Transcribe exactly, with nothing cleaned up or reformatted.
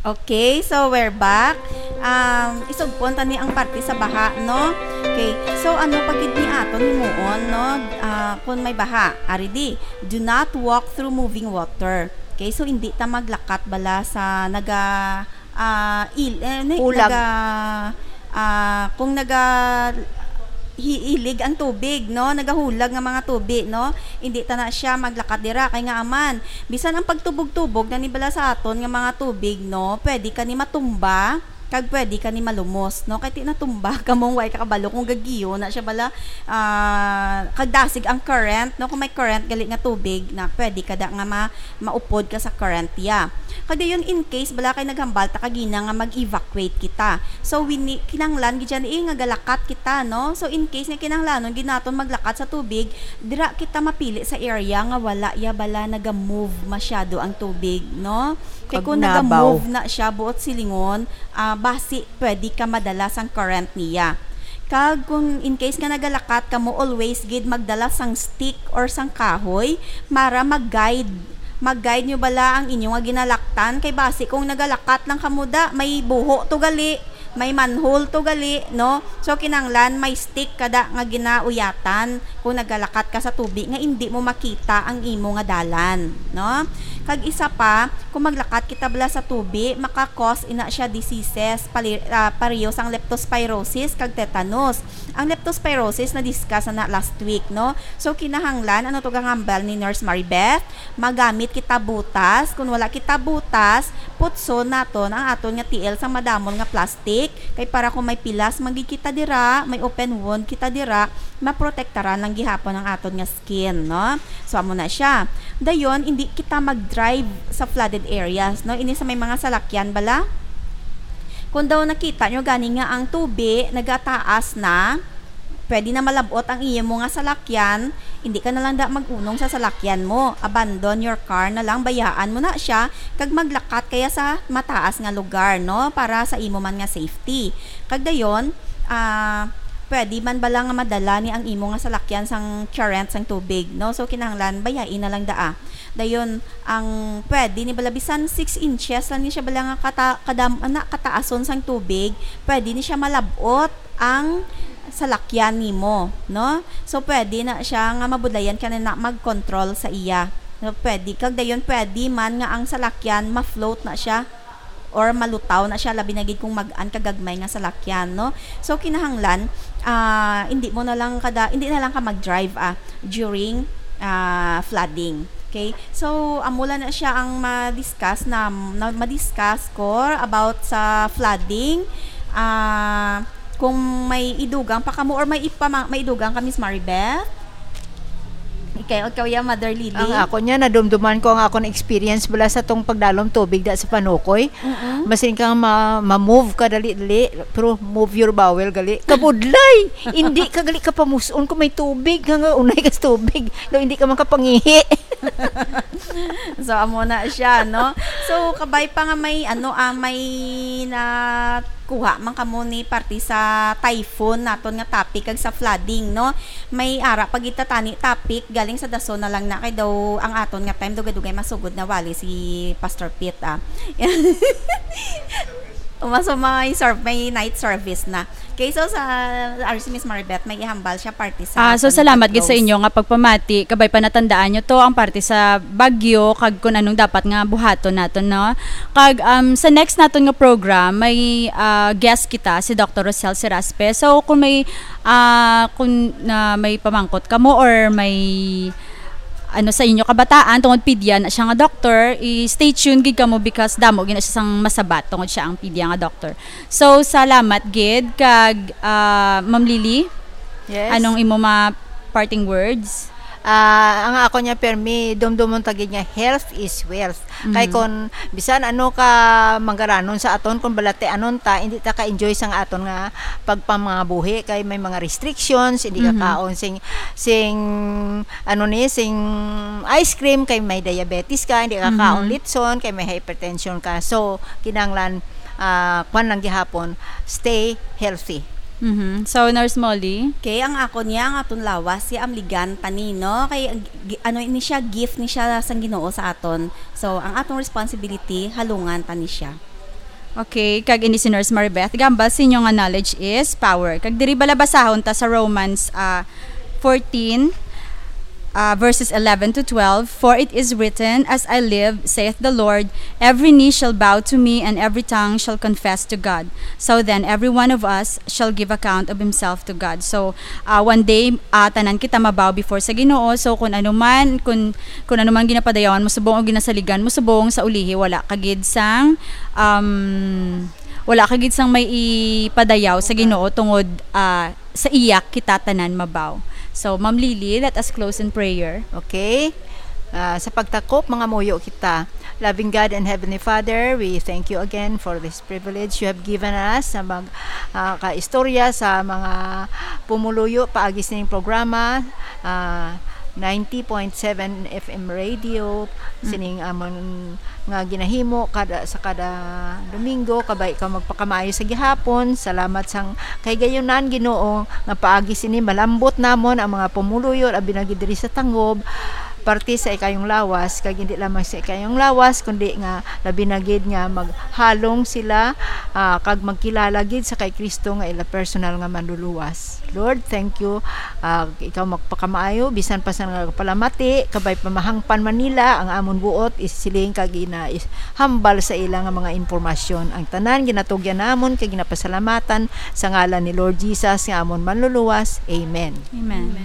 Okay, so we're back. Um, isugpon ta ni ang parte sa baha, no? Okay, so ano pa gid ni aton himuon, no? Ah, kung may baha, ari di, do not walk through moving water. Okay, so hindi ta maglakat bala sa naga, ah, il-, eh, ni-, Hulag. naga, ah, kung naga hi-, hilig ang tubig, no? Nagahulag nga mga tubig, no? Hindi ta na siya maglakat dira kay nga aman. Bisan ang pagtubog-tubog na ni bala sa aton nga mga tubig, no? Pwede ka ni matumba, kag pwede ka ni malumos, no? Kay ti natumba ka mong way ka kabalo kung gagiyo na siya bala, ah, kag dasig ang current, no? Kung may current gali nga tubig na pwede ka da nga ma-, maupod ka sa current ya. Kag dayon, in case bala kay naghambal ta kagina nga mag-evacuate kita. So, wini-, kinahanglan gid siya ni, eh, nga galakat kita, no? So, in case nga kinahanglanon gid naton maglakat sa tubig, dira kita mapili sa area nga wala ya bala naga-move masyado ang tubig, no? Kay kung Pagnabaw. naga-move na siya buot silingon, ah, basi pwede ka madala sang current niya. Kag kung in case nga nagalakat kamo, always gid magdala sang stick or sang kahoy para mag-guide. Mag-guide nyo bala ang inyo nga ginalaktan. Kay basi kung nagalakat lang kamo da, may buho to gali, may manhole to gali, no? So, kinahanglan may stick kada nga ginauyatan kung nagalakat ka sa tubi nga indi mo makita ang imo nga dalan, no? Kag isa pa, kung maglakat kita bala sa tubi, maka-cause ina siya diseases, pali-, ah, pareho sang leptospirosis kag tetanus. Ang leptospirosis na-discuss na, na last week, no? So, kinahanglan, ano to gahambal ni Nurse Maribeth? Magamit kita butas. Kung wala kita butas, putson naton ang aton nga tiil sang madamol nga plastic. Kay para kung may pilas man gid kita dira, may open wound kita dira, maprotektaran lang gihapon ang aton nga skin, no? So, amo na siya. Dayon, hindi kita mag-drive sa flooded areas, no? Ini sa may mga salakyan bala. Kung daw nakita nyo gani nga ang tubi nagataas na, pwede na malab-ot ang imo nga salakyan, hindi ka na lang da mag-unong sa salakyan mo. Abandon your car na lang, bayaan mo na siya, kag maglakat kaya sa mataas nga lugar, no? Para sa imo man nga safety. Kag dayon, ah, pwede man bala nga madala ni ang imo nga salakyan sang current sang tubig, no? So, kinahanglan, bayai na lang daa. Dayon, ang pwede ni bala bisan six inches lang ni siya bala nga kata-, kadam-, ana, kataason sang tubig, pwede ni siya malab-ot ang salakyan nimo, no? So, pwede na siya nga mabudlayan ka na, na mag-control sa iya. No, pwede. Kag dayon, pwede man nga ang salakyan ma-float na siya or malutaw na siya, labi na gid kung mag-an ka gagmay nga salakyan, no? So, kinahanglan, ah, hindi mo na lang kada, hindi na lang ka mag-drive, ah, during, ah, flooding. Okay? So, amo lang na siya ang ma-discuss na, na ma-discuss ko about sa flooding. Ah, kung may idugang pa kamo or may ipama-, may idugang ka, Miss Maribeth? Ikaw, ikaw ya, Mother Lily? Ang ako niya, nadumduman ko ang akon experience bala sa tong pagdalom tubig da sa Panukoy. Mm-mm. Masin kang ma-, ma-move ka dali-dali, pero move your bowel gali. Kabudlay! Hindi ka gali ka pamuson kung may tubig, nga, nga unay ka sa tubig. No, hindi ka makapangihi. So, amo na siya, no? So, kabay pa nga may, ano, ah, may nakuha man kamo ni parte sa typhoon naton nga topic kag sa flooding, no? May ara pa gid ta tani topic, galing sa dason na lang na kay daw ang aton nga time dugay-dugay masugod na wali si Pastor Pete, ah. Umaso may serv-, may night service na. Okay, so sa R C Miss Maribeth, may ihambal siya parte sa Ah, so aton salamat gid sa pag-close. inyo nga pagpamati. Kabay pa natandaan nyo to ang parte sa bagyo kag kung anong dapat nga buhaton naton, no? Kag, um, sa next naton nga program, may, ah, guest kita, si Doctor Rosel Seraspe. So, kung may, ah, kung, ah, may pamangkot kamo or may ano sa inyo kabataan tungod pedia na siya nga doctor, i-stay tuned gid kamo because damo gid na siya sang masabat tungod siya ang pedia nga doctor. So, salamat gid kag, ah, Ma'am Lily, Yes. anong imo mga parting words? Ah, ang ako niya, permi, dumdumon ta gid nga health is wealth. Kay Mhm. Kon bisan ano ka manggaranon sa aton, kon balatianon ta, hindi ta ka-enjoy sang aton nga pagpamangabuhi kay may mga restrictions, hindi ka Mhm. kaon sing, sing, ano ni, sing ice cream kay may diabetes ka, hindi ka kaon Mhm. litson kay may hypertension ka. So, kinahanglan, ah, kwan lang gihapon, stay healthy. Mhm. So, Nurse Molly? Kay ang ako niya, ang aton lawas, siya ang ligan tani, no? Kay, ang gi-, ano ni siya, gift ni siya sang Ginoo sa aton. So, ang atong responsibility, halungan tani siya. Okay, kag ini si Nurse Maribeth, gambal sa inyo nga knowledge is power. Kag diri bala basahon ta sa Romans, ah, fourteen, ah, verses eleven to twelve, "For it is written, 'As I live, saith the Lord, every knee shall bow to me, and every tongue shall confess to God.' So then, every one of us shall give account of himself to God." So, ah, one day, ah, tanan kita mabaw before sa Ginoo. So, kung ano man, kung, kung ano man ginapadayawan mo subong o ginasaligan mo subong, sa ulihi, wala ka gid sang, um, wala ka gid sang may ipadayaw sa Ginoo tungod, ah, sa iya kita tanan mabaw. So, Ma'am Lily, let us close in prayer. Okay? Ah, sa pagtakop, mga muyo kita. Loving God and Heavenly Father, we thank you again for this privilege you have given us sa mag ah, kaistorya sa mga pumuluyo paagi sining programa, ah, ninety point seven F M radio, sining amon nga ginahimo kada sa kada Domingo, kabay ka magpakamaayo sa gihapon. Salamat sang kay gayunan, Ginoo, nga paagi sini malambot namon ang mga pumuluyo abi na gid diri sa Tangob, parte sa ikayong lawas, kag hindi lamang sa ikayong lawas, kundi nga labi na gid nga maghalong sila, ah, kag magkilala gid sa kay Kristo nga ila personal nga manluluwas. Lord, thank you. Ah, ikaw magpakamaayo, bisan pa sa nagapalamati, kabay pamahangpan man nila ang amon buot, isiling kag ina is hambal sa ila nga mga impormasyon. Ang tanan ginatugyan namon kag ginapasalamatan sa ngalan ni Lord Jesus nga amon manluluwas. Amen. Amen.